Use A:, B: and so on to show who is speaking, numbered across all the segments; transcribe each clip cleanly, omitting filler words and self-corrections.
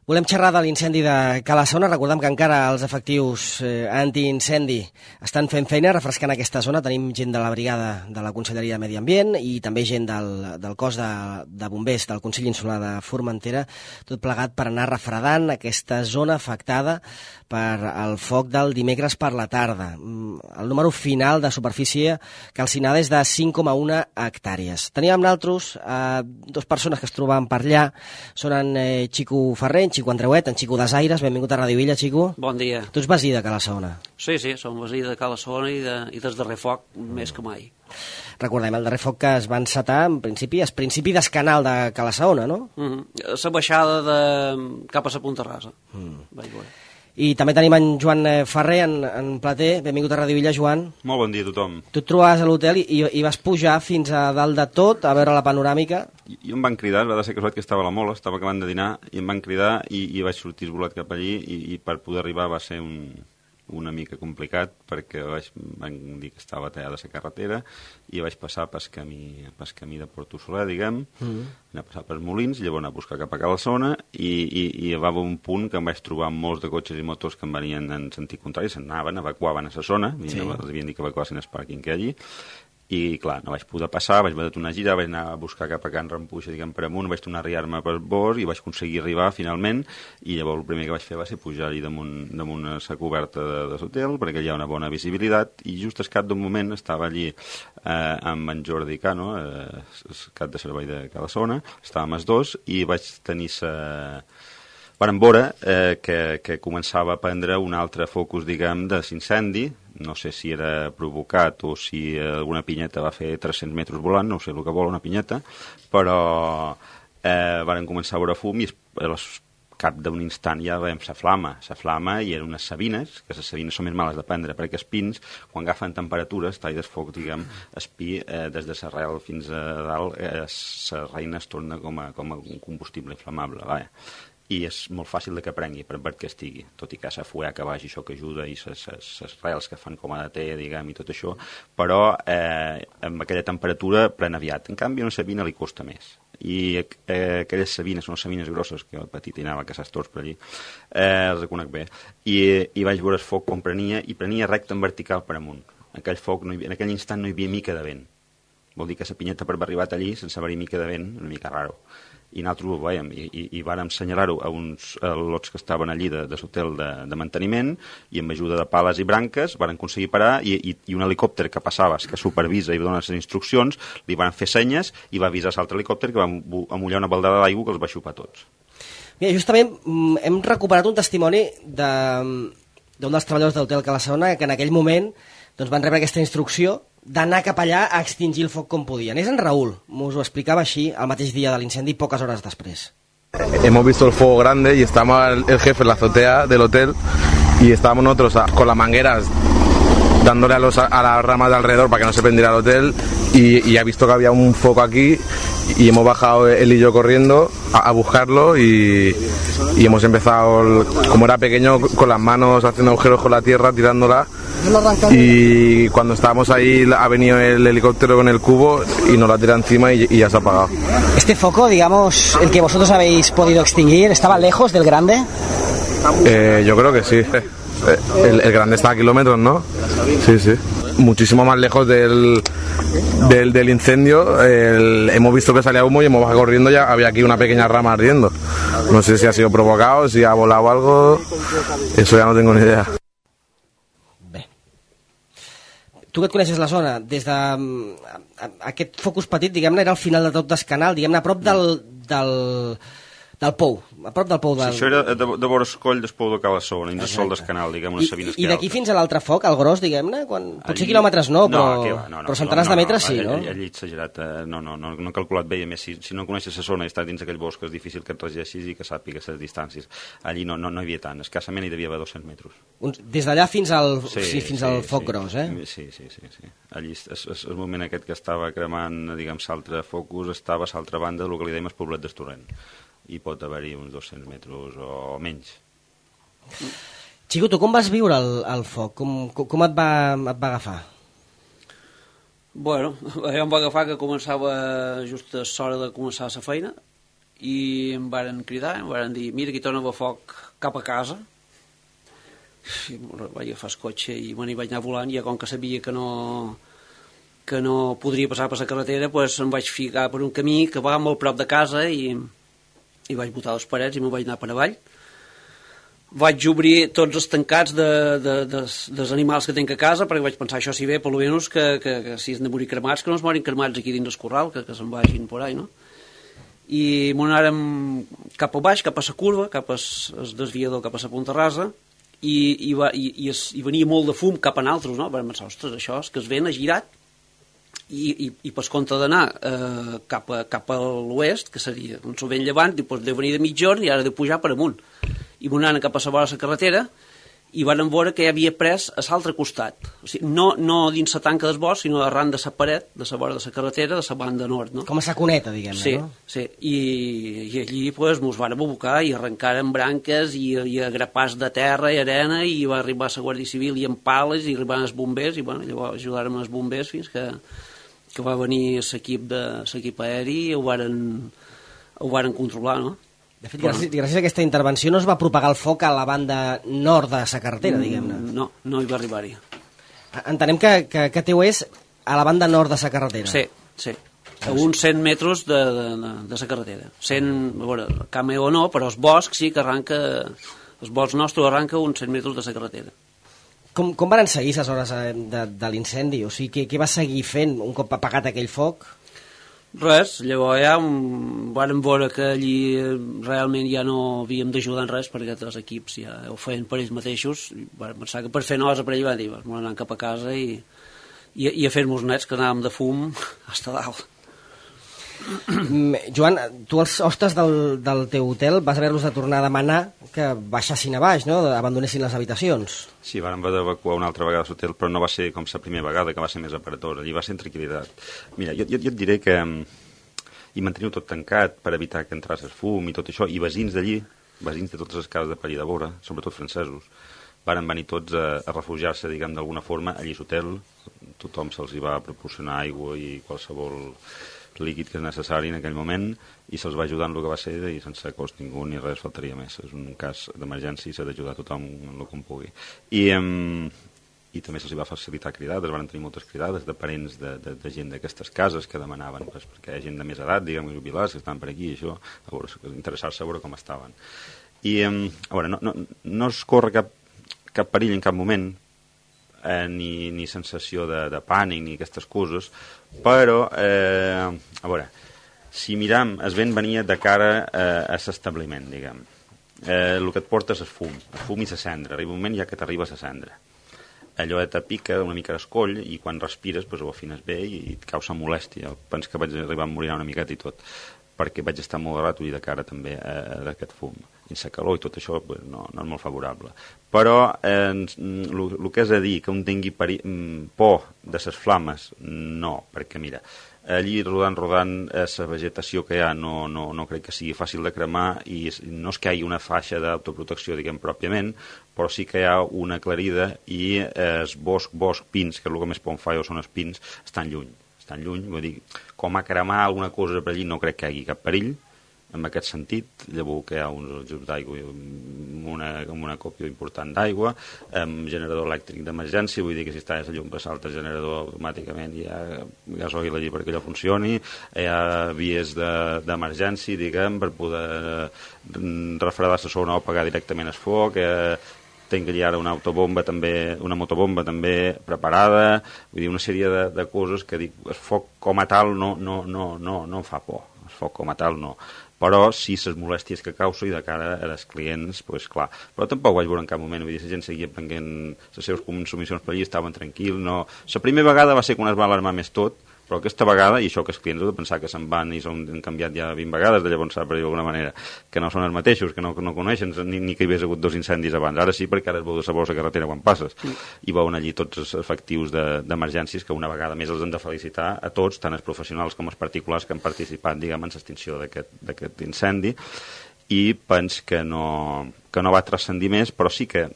A: Volem xerrar de l'incendi de Cala Sona. Recordem que encara els efectius antiincendi estan fent feina, refrescant aquesta zona. Tenim gent de la brigada de la Conselleria de Medi Ambient i també gent del cos de bombers del Consell Insular de Formentera, tot plegat per anar refredant aquesta zona afectada per el foc del dimecres per la tarda. El número final de superfície calcinada és de 5,1 hectàrees. Teníem nosaltres dues persones que es trobaven per allà. Són en Xico Ferrer, en Xico Andreuet, en Xico Desaires. Benvingut a Ràdio Villa, Xico.
B: Bon dia.
A: Tu ets veí de Cala Sona.
B: Sí, som veí de Cala Sona i des darrer foc més que mai.
A: Recordem, el darrer foc que es va encetar, en principi, és principi d'escanal de Cala Sona, no?
B: La baixada cap a la Punta Rasa.
A: I també tenim en Joan Ferrer, en Plater. Benvingut a Ràdio Villa, Joan.
C: Molt bon dia a tothom.
A: Tu et trobaves a l'hotel i vas pujar fins a dalt de tot a veure la panoràmica.
C: I em van cridar, va ser casualitat que estava a la Mola, estava acabant de dinar, i em van cridar i vaig sortir esbolat cap allí i per poder arribar va ser una mica complicat perquè van dir que estava tallada la carretera i vaig passar pel camí de Porto Soler, diguem, anar a passar pels Molins, llavors anar a buscar cap a Cala Sona i va haver un punt que em vaig trobar molts de cotxes i motos que em venien en sentit contrari, s'anaven, evacuaven a la zona, els havien dit que evacuassin el pàrquing que hi ha allí, i clar, no vaig poder passar, vaig haver de tornar a girar, vaig anar a buscar cap a Can Rampuixa, diguem, per amunt, vaig tornar a arribar-me pel bord i vaig aconseguir arribar finalment, i llavors el primer que vaig fer va ser pujar allà damunt la coberta de l'hotel, perquè hi ha una bona visibilitat, i just al cap d'un moment estava allí amb en Jordi Cano, el cap de servei de Cala Sona, estàvem els dos, i vaig tenir vàrem veure que començava a prendre un altre focus, diguem, de l'incendi. No sé si era provocat o si alguna pinyeta va fer 300 metres volant, no sé el que vol una pinyeta, però vàrem començar a veure fum i al cap d'un instant ja veiem la flama i eren unes sabines, que les sabines són més males de prendre perquè els pins, quan agafen temperatures, tall del foc, diguem, el pi, des de l'arrel fins a dalt, la reina es torna com a un combustible inflamable, vaja. I és molt fàcil de que prengui perquè estigui, tot i que la fuera que vagi això que ajuda i les rels que fan com a de té, diguem, i tot això, però amb aquella temperatura pren aviat. En canvi, a una sabina li costa més. I aquelles sabines, són les sabines grosses, que el petit anava a caçar estors per allí, els reconec bé. I vaig veure el foc com prenia, i prenia recte en vertical per amunt. Aquell foc, en aquell instant no hi havia mica de vent. Vol dir que la pinyeta per haver arribat allí, sense haver-hi mica de vent, una mica raro. I nosaltres ho veiem, i vàrem assenyalar-ho a uns lots que estaven allí de l'hotel de manteniment, i amb ajuda de pales i branques varen aconseguir parar, i un helicòpter que passava, que supervisa i dona les instruccions, li van fer senyes i va avisar l'altre helicòpter que va amollar una baldada d'aigua que els va xupar tots.
A: Mira, justament hem recuperat un testimoni d'un dels treballadors de l'hotel Cala Sona que en aquell moment van rebre aquesta instrucció d'anar cap allà a extingir el foc com podien. És en Raúl, us ho explicava així el mateix dia de l'incendi, poques hores després.
D: Hemos visto el fuego grande y estaba el jefe en la azotea del hotel y estábamos nosotros con las mangueras dándole a las ramas de alrededor para que no se prendiera el hotel y ha visto que había un foco aquí y hemos bajado él y yo corriendo a buscarlo y hemos empezado, como era pequeño, con las manos haciendo agujeros con la tierra, tirándola, y cuando estábamos ahí ha venido el helicóptero con el cubo y nos la tira encima y ya se ha apagado.
E: Este foco, digamos, el que vosotros habéis podido extinguir, ¿estaba lejos del grande?
D: Yo creo que sí. El grande está a kilómetros, ¿no? Sí. Muchísimo más lejos del incendio. Hemos visto que salía humo y hemos bajado corriendo, ya había aquí una pequeña rama ardiendo. No sé si ha sido provocado, si ha volado algo, eso ya no tengo ni idea.
A: Bé. Tu que et coneixes la zona, des de aquest focus petit, diguem-ne, era al final de tot d'escanal, diguem-ne, a prop del pou, a prop del pou del...
C: Sí, això era de vora el coll del pou de Cala Sona, dins del sol d'escanal, diguem, unes sabines que...
A: I d'aquí fins a l'altre foc, el gros, diguem-ne, potser quilòmetres no, però centenars de metres sí, no?
C: Allí exagerat, no he calculat bé, a més, si no coneixes la zona i estàs dins aquell bosc és difícil que et regeixis i que sàpigues les distàncies. Allí no hi havia tant, escassament hi devia haver 200 metres.
A: Des d'allà fins al foc gros, eh?
C: Sí. Allí, el moment aquest que estava cremant, diguem, l'altre focus, estava a l'altra banda del que li dèiem el poblet d'Estorrent. I pot haver-hi uns 200 metres o menys.
A: Xico, tu com vas viure el foc? Com et va agafar?
B: Bueno, em va agafar que començava just a l'hora de començar la feina i em varen cridar, em varen dir, mira, aquí torna a foc cap a casa. I vaig agafar el cotxe i hi vaig anar volant, i com que sabia que no podria passar per la carretera, doncs em vaig ficar per un camí que va molt prop de casa i vaig botar les parets i me'n vaig anar per avall. Vaig obrir tots els tancats dels animals que tinc a casa, perquè vaig pensar, això si bé, per almenys que si es de morir cremats, que no es morin cremats aquí dins del corral, que se'n vagin por ahí, no? I m'ho anàrem cap a baix, cap a la curva, cap al desviador, cap a la Punta Rasa, i venia molt de fum cap a nosaltres, no? Vam pensar, ostres, això és que es ven, ha girat, i per compte d'anar cap a l'oest, que seria un sovent llevant, després de venir de mitjorn i ara de pujar per amunt. I van anar cap a la vora de la carretera i van veure que ja havia pres a l'altre costat. O sigui, no dins la tanca del bosc, sinó arran de la paret, de la vora de la carretera, de la banda nord. No?
A: Com a saconeta, diguem-ne,
B: sí,
A: no?
B: Sí, i allí pues, mos van abocar i arrencaren branques i agrapats de terra i arena, i va arribar la Guàrdia Civil i amb pales, i arribaven els bombers, i bueno, llavors ajudàrem els bombers fins que va venir l'equip aeri i ho varen controlar, no?
A: De fet, gràcies a aquesta intervenció no es va propagar el foc a la banda nord de la carretera, diguem-ne.
B: No hi va arribar-hi.
A: Entenem que teu és a la banda nord de la carretera.
B: Sí. A uns 100 metres de la carretera. 100, a veure, cameo no, però el bosc sí que arranca, el bosc nostre arranca uns 100 metres de la carretera.
A: Com van seguir les hores de l'incendi? O sigui, què va seguir fent un cop apagat aquell foc?
B: Res, llavors ja vam veure que allí realment ja no havíem d'ajudar en res, perquè els equips ja ho feien per ells mateixos, i vam pensar que per fer nosa per allà van dir, vam anar cap a casa i a fer-nos nets, que anàvem de fum fins a dalt.
A: Joan, tu els hostes del teu hotel vas haver-los de tornar a demanar que baixassin a baix, no? Abandonessin les habitacions.
C: Sí, vam haver d'evacuar una altra vegada l'hotel, però no va ser com la primera vegada, que va ser més aparatós. Allí va ser en tranquil·litat. Mira, jo et diré que hi manteniu tot tancat per evitar que entrés el fum i tot això, i veïns d'allí, veïns de totes les cases de Parí de Vora, sobretot francesos, varen venir tots a refugiar-se, diguem, d'alguna forma, allí a l'hotel. Tothom se'ls hi va proporcionar aigua i qualsevol líquid que és necessari en aquell moment, i se'ls va ajudar en el que va ser, i sense cost ningú ni res faltaria més. És un cas d'emergència i s'ha d'ajudar tothom en el que pugui. I també se'ls va facilitar cridades, van tenir moltes cridades de parents de gent d'aquestes cases que demanaven, pues, perquè hi ha gent de més edat, diguem, jubilats, que estan per aquí, i això, a veure, interessar-se a veure com estaven. I, a veure, no es corre cap perill en cap moment, ni sensació de pànic ni aquestes coses, però a veure, si miram, el vent venia de cara a l'establiment, diguem. El que et porta és el fum i la cendra. Arriba un moment ja que t'arriba la cendra. Allò te pica una mica d'escoll, i quan respires pues, ho afines bé i et causa molèstia. Penso que vaig arribar a morir una miqueta i tot, perquè vaig estar molt rato i de cara també d'aquest fum. I la calor i tot això pues, no és molt favorable. Però el que és a dir que un tingui por de les flames, no, perquè mira, allí rodant la vegetació que hi ha no crec que sigui fàcil de cremar, i no és que hi hagi una faixa d'autoprotecció, diguem, pròpiament, però sí que hi ha una aclarida, i el bosc, pins, que el que més poden fer són els pins, estan lluny, vull dir, com a cremar alguna cosa per allí no crec que hi hagi cap perill, en aquest sentit. Llavors que hi ha uns ajuts d'aigua, una còpia important d'aigua, generador elèctric d'emergència, vull dir que si està la llum que salta el generador automàticament hi ha gasoil allí perquè allò funcioni, hi ha vies d'emergència, diguem, per poder refredar la zona o apagar directament el foc. Tinc allà ara una motobomba també preparada, vull dir, una sèrie de coses que dic, el foc com a tal no em fa por, el foc com a tal no, però sí les molèsties que causa i de cara als clients, pues clar, però tampoc vaig veure en cap moment, vull dir, la gent seguia prenent les seves consumicions per allà, estaven tranquils, no. La primera vegada va ser quan es va alarmar més tot, però aquesta vegada, i això que els clients heu de pensar que se'n van i han canviat ja 20 vegades, de llavors per dir d'alguna manera, que no són els mateixos, que no coneixen ni que hi hagués hagut 2 incendis abans. Ara sí, perquè ara es veu de saber la carretera quan passes. I veuen allí tots els efectius d'emergències, que una vegada més els hem de felicitar a tots, tant els professionals com els particulars que han participat, diguem, en l'extinció d'aquest incendi. i pens que no va transcendir més, però sí que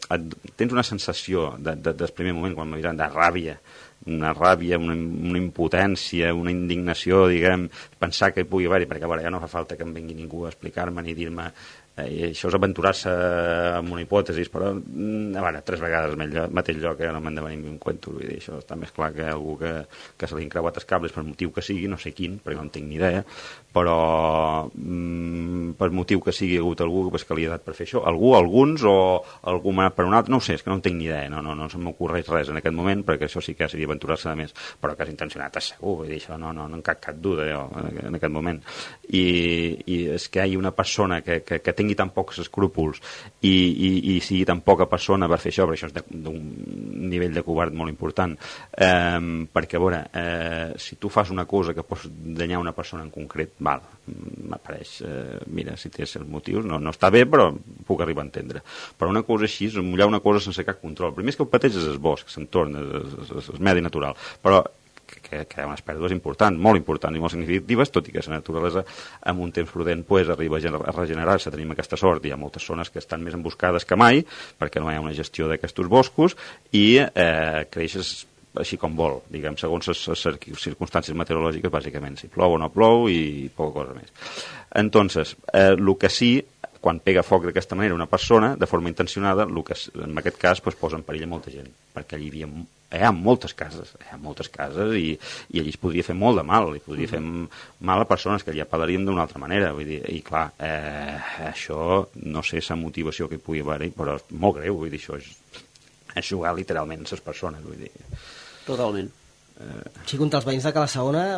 C: tens una sensació del primer moment, quan m'he de ràbia, una impotència, una indignació, diguem, pensar que hi pugui haver-hi, perquè ja no fa falta que em vingui ningú a explicar-me ni dir-me això és aventurar-se amb una hipòtesi, però 3 vegades al mateix lloc no m'han de venir un cuento, vull dir, això està més clar que algú que se li han creuat els cables per motiu que sigui, no sé quin, perquè no en tinc ni idea, però per motiu que sigui hagut algú que li ha dat per fer això, alguns o algú m'ha anat per un altre, no ho sé, és que no en tinc ni idea, no se m'ocorreix res en aquest moment, perquè això sí que seria aventurar-se de més, però que és intencionat, segur, vull dir, això no en cap duda jo, en aquest moment, i és que hi ha una persona que tingui tan pocs escrúpols i sigui tan poca persona per fer això, perquè això és d'un nivell de covard molt important, perquè a veure, si tu fas una cosa que pots danyar una persona en concret, val, m'apareix, mira, si tens els motius, no està bé, però puc arribar a entendre. Però una cosa així, mullar una cosa sense cap control, primer és que ho pateix és el bosc, l'entorn, el medi natural, però que hi ha unes pèrdues importants, molt importants i molt significatives, tot i que la naturalesa en un temps prudent arriba a regenerar-se, tenim aquesta sort, hi ha moltes zones que estan més emboscades que mai, perquè no hi ha una gestió d'aquests boscos, i creixes així com vol, diguem, segons les circumstàncies meteorològiques, bàsicament, si plou o no plou i poca cosa més. Entonces, el que sí, quan pega foc d'aquesta manera una persona, de forma intencionada, el que en aquest cas posa en perill a molta gent, perquè hi ha moltes cases i allí es podria fer molt de mal, li podria fer mal a persones que allà parlaríem d'una altra manera, vull dir, i clar, això no sé la motivació que hi pugui haver-hi, però és molt greu, vull dir, això és jugar literalment a les persones, vull dir.
B: Totalment.
A: Sí, contra els veïns de Cala Saona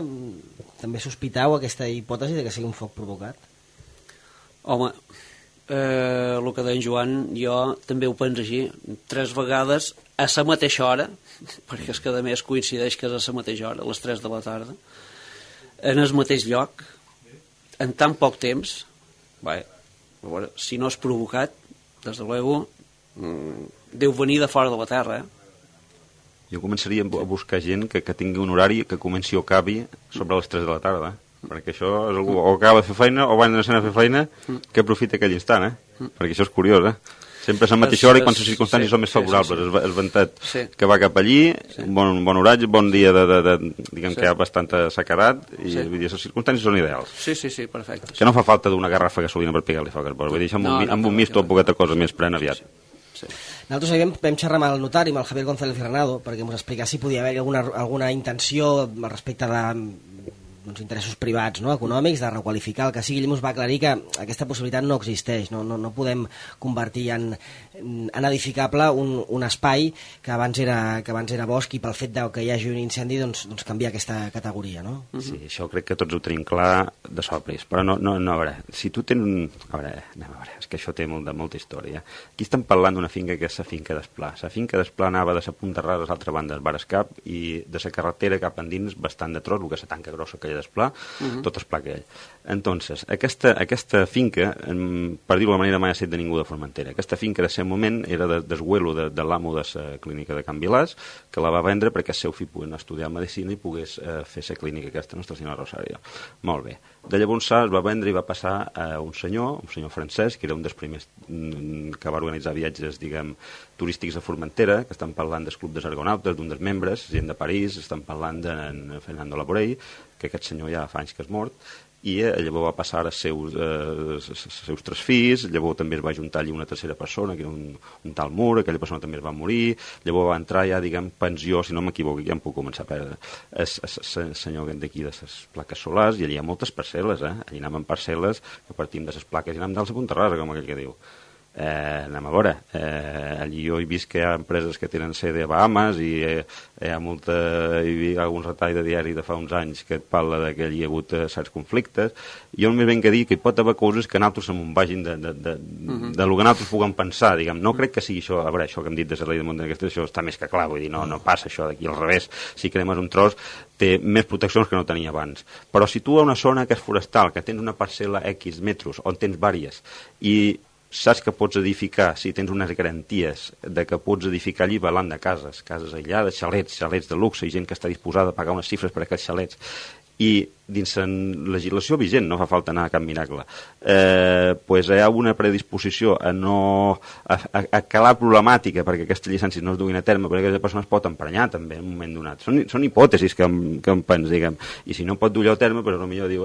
A: també sospitau aquesta hipòtesi de que sigui un foc provocat?
B: Home, el que deia en Joan, jo també ho penso així, 3 vegades a la mateixa hora, perquè és que a més coincideix que és a la mateixa hora, a les 3 de la tarda, en el mateix lloc, en tan poc temps, si no és provocat, des de luego, deu venir de fora de la terra,
C: Jo començaria a buscar gent que tingui un horari que comenci o acabi sobre les 3 de la tarda, perquè això és algú, o acaba de fer feina o va anar a fer feina, que aprofita aquell instant, perquè això és curiós, sempre és a la mateixa hora i quan les circumstàncies són més favorables, el ventet que va cap allí, bon horatge, bon dia diguem que hi ha bastanta sequedat i les circumstàncies són ideals.
B: Sí, perfecte.
C: Que no fa falta d'una garrafa de gasolina per pegar-li foc al bord, vull dir, amb un misto o poqueta cosa més pren aviat.
A: Nosaltres ahir vam xerrar amb el notari, amb el Javier González Granado, perquè ens explicar si podia haver alguna intenció respecte de interessos privats, econòmics, de requalificar el que sigui. Ell ens va aclarir que aquesta possibilitat no existeix, no podem convertir en edificable un espai que abans era bosc i pel fet que hi hagi un incendi doncs canvia aquesta categoria, no?
C: Sí, això crec que tots ho tenim clar de sobres, però no, a veure, si tu tens anem a veure, és que això té molta història. Aquí estem parlant d'una finca que és la finca d'Esplà. La finca d'Esplà anava de la Punta Rasa a l'altra banda del Barescap i de la carretera cap endins bastant de tros, el que és la tanca grossa que d'Esplà, tot Esplà aquell. Entonces, aquesta finca, per dir-ho de manera mai ha set de ningú de Formentera, aquesta finca de ser moment era desguelo de l'amo de la clínica de Can Vilàs, que la va vendre perquè el seu fill pogués estudiar medicina i pogués fer la clínica aquesta Nostra Senyora Rosario. Molt bé. De llavors es va vendre i va passar a un senyor francès, que era un dels primers que va organitzar viatges, diguem, turístics a Formentera, que estan parlant del Club dels Argonautes, d'un dels membres, gent de París, estan parlant de Fernando Laborell, que aquest senyor ja fa anys que és mort, i llavors va passar als seus 3 fills, llavors també es va juntar allí una tercera persona, que era un tal Mur, aquella persona també es va morir, llavors va entrar ja, diguem, pensió, si no m'equivoco, ja em puc començar a perdre, el senyor d'aquí de les plaques solars, i allà hi ha moltes parcel·les, allà anàvem parcel·les, que partim de les plaques i anàvem dalt a Punta Rasa, com aquell que diu. Anem a veure, allí jo he vist que hi ha empreses que tenen sede a Bahamas i hi ha algun retall de diari de fa uns anys que et parla que hi ha hagut certs conflictes. Jo només venc a dir que hi pot haver coses que nosaltres se'n vagin de lo que nosaltres puguem pensar, diguem. No crec que sigui això, a veure, això que hem dit de la llei de Montenegro, això està més que clar, vull dir, no passa això d'aquí, al revés, si cremes un tros té més proteccions que no tenia abans, però si tu a una zona que és forestal, que tens una parcel·la X metres, on tens vàries, i saps que pots edificar, si tens unes garanties de que pots edificar allí parlant de cases aïllades, xalets de luxe i gent que està disposada a pagar unes xifres per aquests xalets i dins la legislació vigent, no fa falta anar a cap miracle, pues hi ha una predisposició a calar problemàtica perquè aquestes llicències no es duguin a terme, perquè aquesta persona es pot emprenyar també en un moment donat. Són hipòtesis que em pens, diguem, i si no pot dur-ho a terme, però potser diu,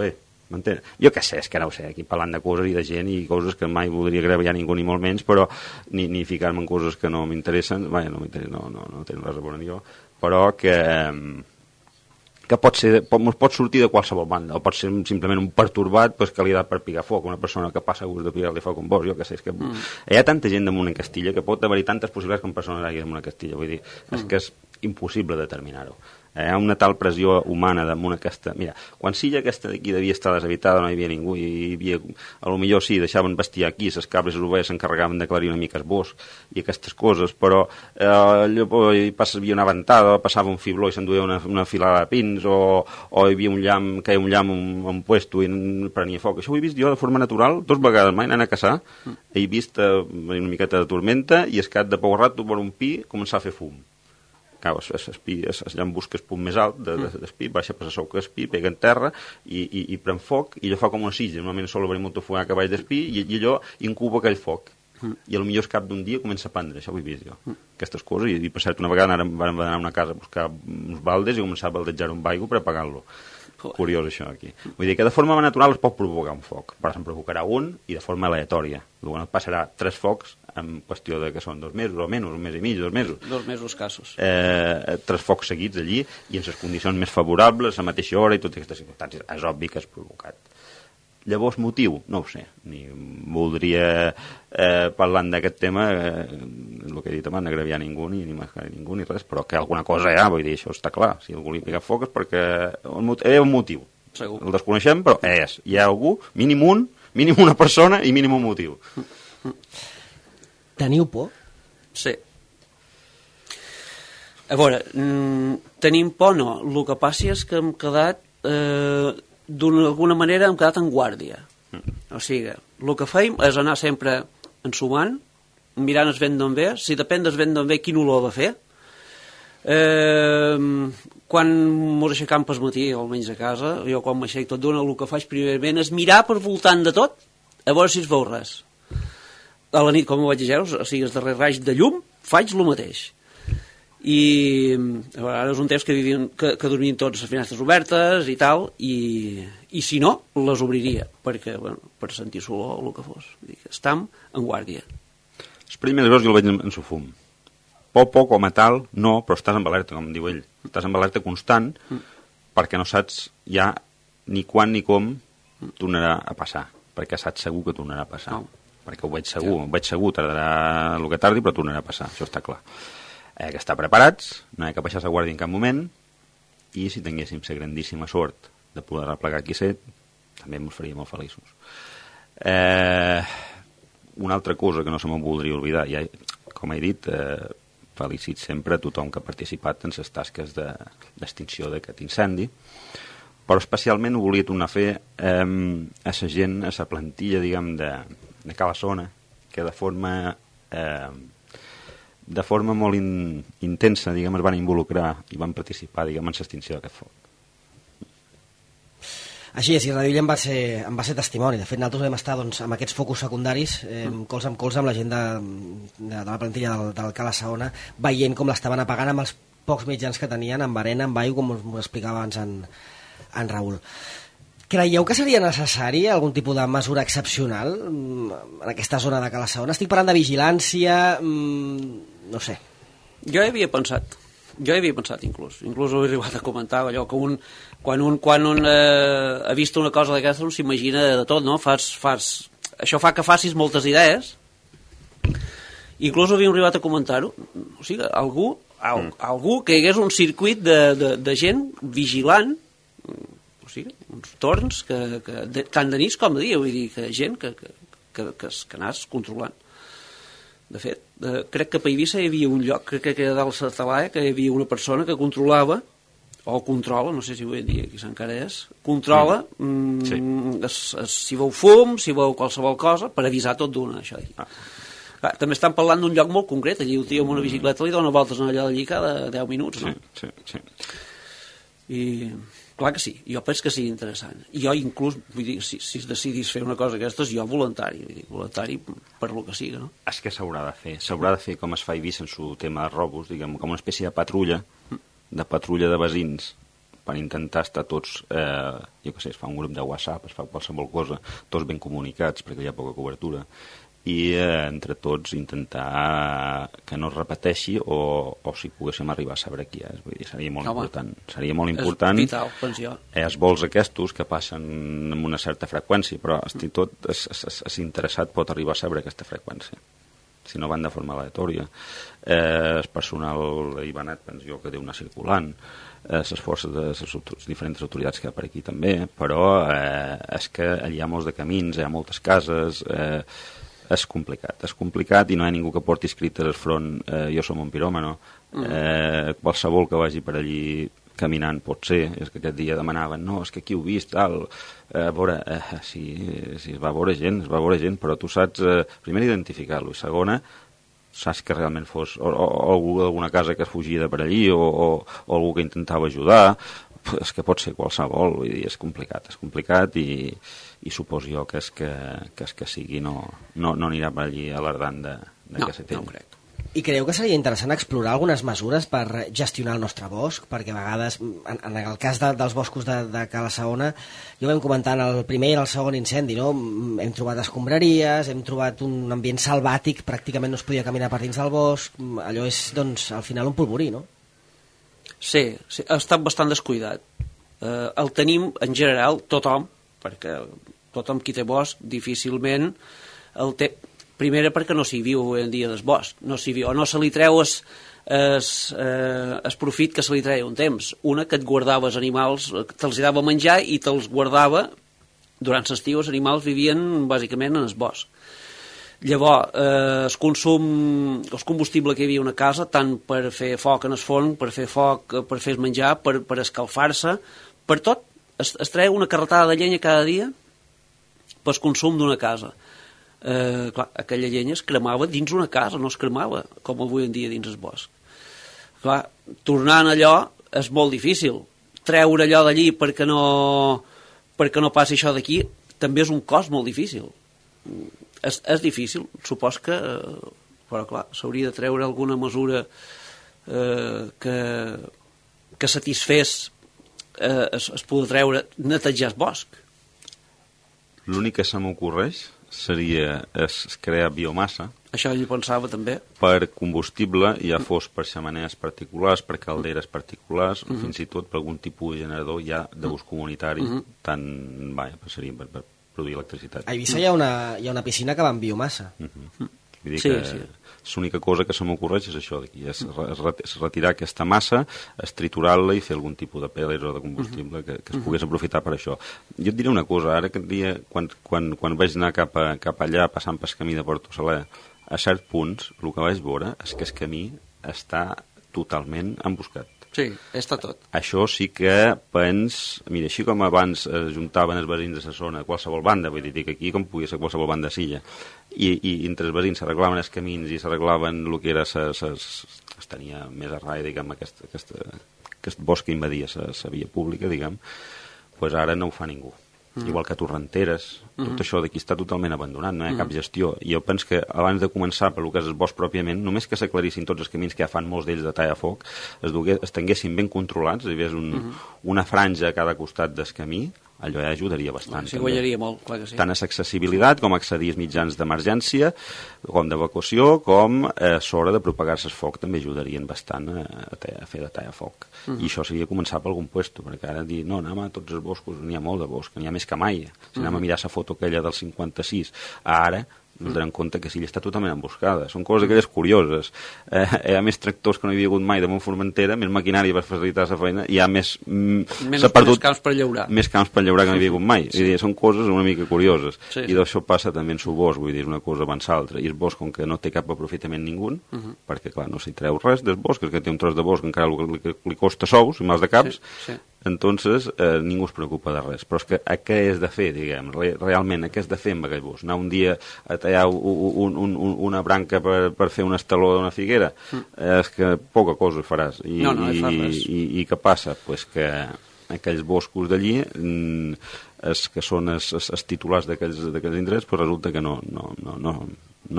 C: m'entén? Jo què sé, és que no ho sé, aquí parlant de coses i de gent i coses que mai voldria gravar ningú ni molt menys, però ni ficar-me en coses que no m'interessen, no tenen res a veure amb jo, però que pot sortir de qualsevol banda, o pot ser simplement un pertorbat que li ha dat per picar foc, una persona que passa a gust de picar-li foc amb vos, jo què sé, és que hi ha tanta gent damunt en Castilla que pot haver-hi tantes possibilitats que una persona hi hagi damunt en Castilla, vull dir, és que és impossible determinar-ho. Hi ha una tal pressió humana damunt aquesta... Mira, quan Silla aquesta d'aquí devia estar deshabitada, no hi havia ningú, hi havia... A lo millor sí, deixaven bestiar aquí, les cabres i les ovelles s'encarregaven d'aclarir una mica el bosc i aquestes coses, però hi havia una ventada, passava un fibló i s'enduia una filada de pins, o hi havia un llamp, caia un llamp a un puesto i prenia foc. Això ho he vist jo de forma natural, 2 vegades mai anant a caçar, he vist una miqueta de tormenta i es cap de poc rato per un pi començar a fer fum. Clar, es llambus que és punt més alt d'espí, baixa per la sou que espí, pega en terra i pren foc, i allò fa com una sitja, normalment sol obrir molt foc a cavall d'espí, i allò incuba aquell foc. I potser al cap d'un dia comença a prendre, això ho he vist jo, aquestes coses, i per cert una vegada vam anar a una casa a buscar uns baldes i començar a baldejar un aigua per apagar-lo. Curiós això aquí. Vull dir que de forma natural es pot provocar un foc, però se'n provocarà un i de forma aleatòria. Llavors passarà 3 focs en qüestió de que són 2 mesos o menys, 1 mes i mig, 2 mesos.
B: 2 mesos escassos.
C: 3 focs seguits allí i en les condicions més favorables, a la mateixa hora i totes aquestes circumstàncies. És obvi que és provocat. Llavors, motiu? No ho sé. Ni voldria, parlant d'aquest tema, el que he dit abans, no agraviar ningú, ni mascar ningú, ni res, però que alguna cosa hi ha, vull dir, això està clar. Si algú li pica foc és perquè hi ha un motiu.
B: Segur.
C: El desconeixem, però hi ha algú, mínim una persona i mínim un motiu.
A: Teniu por?
B: Sí. A veure, tenim por no. El que passa és que hem quedat... d'alguna manera hem quedat en guàrdia. O sigui, el que feim és anar sempre ensumant, mirant el vent d'on ve, si depèn del vent d'on ve, quin olor ha de fer. Quan mos aixecam pel matí, almenys a casa, jo quan m'aixec tot d'una, el que faig primerament és mirar per voltant de tot, a veure si es veu res. A la nit, com ho vaig a o sigui, els darrers raigs de llum, faig el mateix. I a vegades un temps que dormien tots les finestres obertes i tal, i si no, les obriria perquè, per sentir l'olor o el que fos. Estam en guàrdia.
C: Els primers veus jo el veig en su fum. Poc o metal, no, però estàs en alerta, com diu ell. Estàs en alerta constant perquè no saps ja ni quan ni com tornarà a passar, perquè saps segur que tornarà a passar. Perquè ho veig segur, tardarà el que tardi, però tornarà a passar, això està clar. Que estar preparats, no hi ha que baixar la guàrdia en cap moment, i si tinguéssim la grandíssima sort de poder replegar qui set, també ens faria molt feliços. Una altra cosa que no se me'n voldria oblidar, ja, com he dit, felicit sempre a tothom que ha participat en les tasques d'extinció d'aquest incendi, però especialment ho volia tornar a fer a la gent, a la plantilla, diguem, de Cala Sona, que de forma molt intensa, diguem, es van involucrar i van participar, diguem, en l'extinció d'aquest foc.
A: Així és, i Radio Illa en va ser testimoni. De fet, nosaltres vam estar amb aquests focus secundaris, colze amb la gent de la plantilla del Cala Sona, veient com l'estaven apagant amb els pocs mitjans que tenien, amb arena, amb aigua, com us explicava abans en Raül. Creieu que seria necessari algun tipus de mesura excepcional en aquesta zona de Cala Sona? Estic parlant de vigilància, no sé.
B: Jo hi havia pensat inclús ho he arribat a comentar, allò que quan un ha vist una cosa d'aquesta un s'imagina de tot, no? Això fa que facis moltes idees. Inclús havíem arribat a comentar-ho, o sigui, algú que hi hagués un circuit de gent vigilant, o sigui, uns torns tant de nits com de dia, vull dir, que gent que anàs controlant. De fet, crec que a Eivissa hi havia un lloc, crec que era dalt la Talaia, que hi havia una persona que controlava, o controla, no sé si avui en dia aquí encara és, controla si veu fum, si veu qualsevol cosa, per avisar tot d'una, això d'aquí. Clar, també estan parlant d'un lloc molt concret, allí el tio amb una bicicleta li dona voltes allà cada 10 minuts, no?
C: Sí.
B: Clar que sí, jo penso que sigui interessant. Jo inclús, vull dir, si es decidís fer una cosa d'aquestes, jo voluntari per lo que siga, no?
C: És que s'haurà de fer com es fa a Eivissa en su tema de robos, diguem, com una espècie de patrulla de veïns, per intentar estar tots, jo què sé, es fa un grup de WhatsApp, es fa qualsevol cosa, tots ben comunicats, perquè hi ha poca cobertura, i entre tots intentar que no es repeteixi o si poguéssim arribar a saber qui és. Vull dir, seria molt important. Seria molt important.
B: És vital, penso jo.
C: Els vols aquests que passen amb una certa freqüència, però és interessat pot arribar a saber aquesta freqüència, si no van de forma aleatòria. El personal hi va anar, penso jo, que deu anar circulant, l'esforç de les diferents autoritats que hi ha per aquí també, però és que allà hi ha molts de camins, hi ha moltes cases, és complicat i no hi ha ningú que porti escrit al front jo som un piròmano. Qualsevol que vagi per allí caminant pot ser. És que aquest dia demanaven, no, és que aquí ho he vist, tal, a veure, sí, es va veure gent, però tu saps, primer identificar-lo, i segona, saps que realment fos o algú d'alguna casa que es fugia de per allí o algú que intentava ajudar. És que pot ser qualsevol, vull dir, és complicat i suposo jo que és que sigui no anirà per allí alertant de que se té.
B: No crec.
A: I creu que seria interessant explorar algunes mesures per gestionar el nostre bosc? Perquè a vegades, en el cas dels boscos de Cala Saona, jo vam comentar en el primer i en el segon incendi, no? Hem trobat escombraries, hem trobat un ambient salvàtic, pràcticament no es podia caminar per dins del bosc, allò és, doncs, al final un polvorí, no?
B: Sí, ha estat bastant descuidat. El tenim, en general, tothom, perquè tothom qui té bosc difícilment el té. Primera, perquè no s'hi viu en dia del bosc, no s'hi viu, o no se li treu es profit que se li treia un temps. Una, que et guardava els animals, te'ls dava menjar i te'ls guardava. Durant l'estiu els animals vivien bàsicament en el bosc. Llavors, el combustible que hi havia a una casa, tant per fer foc en el forn, per fer foc, per fer menjar, per escalfar-se, per tot, es treia una carretada de llenya cada dia pel consum d'una casa. Clar, aquella llenya es cremava dins una casa, no es cremava com avui en dia dins el bosc. Clar, tornant allò és molt difícil. Treure allò d'allí perquè no passi això d'aquí també és un cost molt difícil. És difícil, supos que però clar, s'hauria de treure alguna mesura que satisfés es poder treure, netejar el bosc.
C: L'únic que se m'ocorreix seria crear biomassa.
B: Això jo pensava també.
C: Per combustible, ja fos per xemeneies particulars, per calderes particulars, o fins i tot per algun tipus de generador ja d'ús comunitari, tant, seria per produir electricitat.
A: A Eivissa hi ha una piscina que va amb biomassa.
C: Vull dir que l'única cosa que se m'ocorreix és això d'aquí, és retirar aquesta massa, triturar-la i fer algun tipus de pèl·lis o de combustible que es pogués aprofitar per això. Jo et diré una cosa, ara aquest dia, quan vaig anar cap allà, passant pel camí de Porto Saler, a certs punts, el que vaig veure és que el camí està totalment emboscat.
B: Sí, està tot.
C: Això sí que mira, així com abans es juntaven els veïns de la zona de qualsevol banda, vull dir que aquí com podia ser qualsevol banda de Silla, i entre els veïns s'arreglaven els camins i s'arreglaven el que era es tenia més a rai, diguem, aquest bosc que invadia la via pública, diguem, doncs ara no ho fa ningú. Igual que Torrenteres, tot això d'aquí està totalment abandonat, no hi ha cap gestió. I jo penso que abans de començar per el que és el bosc pròpiament, només que s'aclarissin tots els camins que ja fan molts d'ells de tall a foc, es tinguessin ben controlats, hi hagués una franja a cada costat del camí, allò ja ajudaria bastant.
B: Sí, guanyaria molt, clar que sí.
C: Tant a l'accessibilitat com a accedir als mitjans d'emergència, com d'evacuació, com a l'hora de propagar-se el foc també ajudarien bastant a fer de tall a foc. I això seria començar per algun puesto, perquè ara dir, no, anem a tots els boscos, n'hi ha molt de bosc, n'hi ha més que mai. Si anem a mirar la foto aquella del 56, ara ens donem compte que sí, està totalment emboscada. Són coses aquelles curioses. Hi ha més tractors que no hi havia hagut mai damunt Formentera, més maquinària per facilitar la feina, hi ha més
B: camps per llaurar.
C: Més camps per llaurar que no hi havia hagut mai.
B: Sí.
C: Són coses una mica curioses.
B: Sí.
C: I d'això passa també en el bosc, vull dir, una cosa abans l'altra. I el bosc, com que no té cap aprofitament ningú, perquè, clar, no s'hi treu res del bosc, és que té un tros de bosc encara li costa sous i mals de caps, entonces ningú es preocupa de res. Però és que què és de fer, diguem, realment, què és de fer amb aquell bosc? Anar un dia a tallar una branca per fer un estaló d'una figuera? És que poca cosa faràs.
B: No hi fa res.
C: I què passa? Pues que aquells boscos d'allí, que són els titulars d'aquells indrets, però resulta que no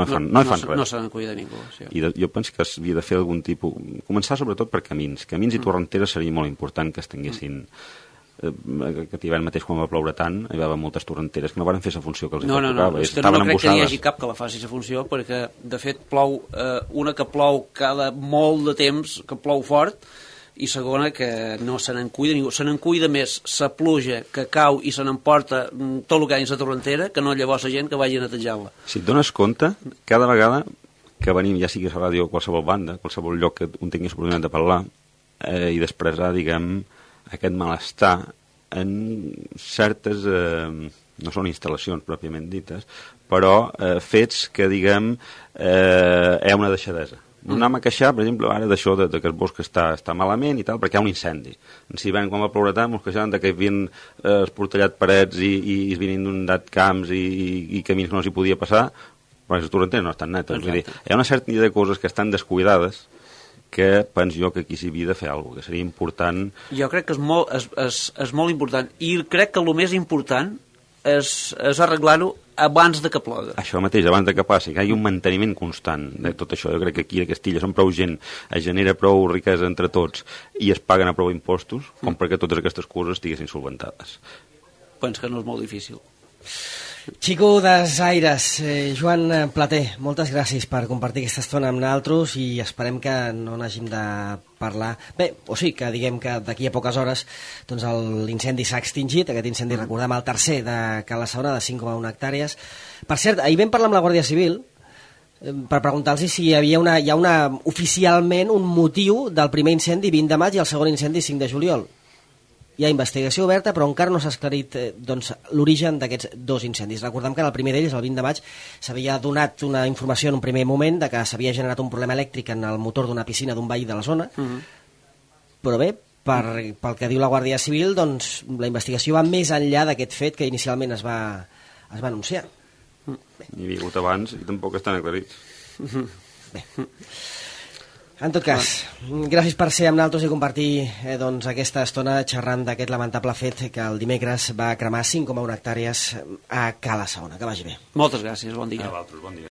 C: fan res.
B: No se n'en cuida ningú. Sí.
C: I jo penso que s'havia de fer algun tipus... Començar sobretot per camins i torrenteres seria molt important que es tinguessin... Aquest hivern mateix quan va ploure tant hi va haver moltes torrenteres que no van fer la funció que els
B: pertocava. És que no crec que hi hagi cap que la faci la funció, perquè de fet plou una que plou cada molt de temps, que plou fort, i segona que no se n'en cuida ningú. Se n'en cuida més la pluja que cau i se n'emporta tot el que hi ha a la torrentera que no llavors la gent que vagi a netejar-la.
C: Si et dones compte, cada vegada que venim, ja sigui a la ràdio o qualsevol banda, qualsevol lloc que un tingués oportunitat de parlar i d'expressar, diguem, aquest malestar en certes, no són instal·lacions pròpiament dites, però fets que, diguem, hi ha una deixadesa. No anem a queixar, per exemple, ara d'això que el bosc està malament i tal, perquè hi ha un incendi. En si quan va ploure tant, ens queixàvem que havien esportellat parets i es havien inundat camps i camins que no s'hi podia passar, però les torrenteres no estan netes. Vull dir, hi ha una certa de coses que estan descuidades que penso jo que aquí s'hi havia de fer alguna cosa, que seria important. Jo
B: crec que és molt important, i crec que el més important és arreglar-ho abans de que ploga.
C: Això mateix, abans de que passi, que hi ha un manteniment constant de tot això. Jo crec que aquí a Castilla som prou gent, es genera prou riquesa entre tots i es paguen a prou impostos com perquè totes aquestes coses estiguessin solventades.
B: Penso que no és molt difícil.
A: Xico des Aires, Joan Plater, moltes gràcies per compartir aquesta estona amb nosaltres i esperem que no n'hàgim de parlar. Bé, o sí, que diguem que d'aquí a poques hores doncs l'incendi s'ha extingit, aquest incendi, recordem, el tercer de Cala Saona, de 5,1 hectàrees. Per cert, ahir vam parlar amb la Guàrdia Civil per preguntar-los si hi ha oficialment un motiu del primer incendi 20 de maig i el segon incendi 5 de juliol. Hi ha investigació oberta, però encara no s'ha esclarit l'origen d'aquests dos incendis. Recordem que en el primer d'ells, el 20 de maig, s'havia donat una informació en un primer moment de que s'havia generat un problema elèctric en el motor d'una piscina d'un veí de la zona, però bé, pel que diu la Guàrdia Civil, doncs la investigació va més enllà d'aquest fet que inicialment es va anunciar.
C: N'hi havia hagut abans i tampoc estan aclarits.
A: Bé. En tot cas, gràcies per ser amb nosaltres i compartir aquesta estona xerrant d'aquest lamentable fet que el dimecres va cremar 5,1 hectàrees a Cala Saona. Que vagi bé.
B: Moltes gràcies, bon dia.
C: A vosaltres, bon dia.